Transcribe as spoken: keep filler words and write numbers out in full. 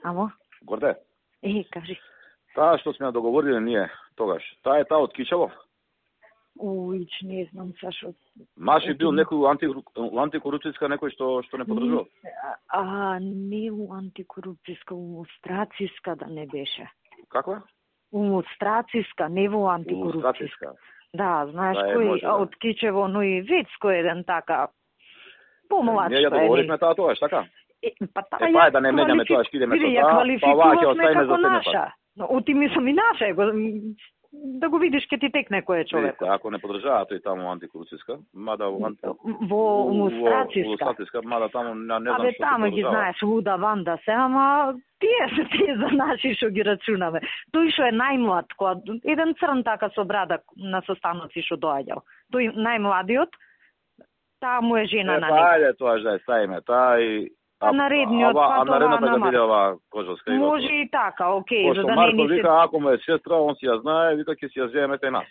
Амо? Горде. Е, кажи. Таа што сме договориле ние тогаш, таа е таа од Кичево? Уич, не знам, Сашо. Маши бил некој анти, антикорупцијска некој што што не подржува? А, не у антикорупцијска, у страциска да не беше. Каква? У страциска, не во антикорупцијска. Да, знаеш да, кој може, да. од Кичево, но и Вецко еден така помлад. Ние ја договоривме таа тогаш, така? Е, па таа е, па е, да не менеме тоа, што идеме со таа, па ваќе оставиме за наша. Но оти мислам и наша, го, да го видиш ке ти текне кој е човек. Ако не подржава тој таму антикорупцијска, мада во анти... во мустрациска. Во мада таму не, не знам Абе, што таму ги знаеш луда ванда се, ама тие се тие за наши што ги рачунаме. Тој што е најмлад, која еден црн така со брада на состаноци што доаѓал. Тој најмладиот, таа му е жена е, на него. него. Ајде тоа ја ставиме, таа и А наредниот, а, а наредната на ќе биде ова Кожовска. Може и така, окей, Пошто за да Марко не ни се... вика, ако му е сестра, он си ја знае, вика ќе си ја земете нас.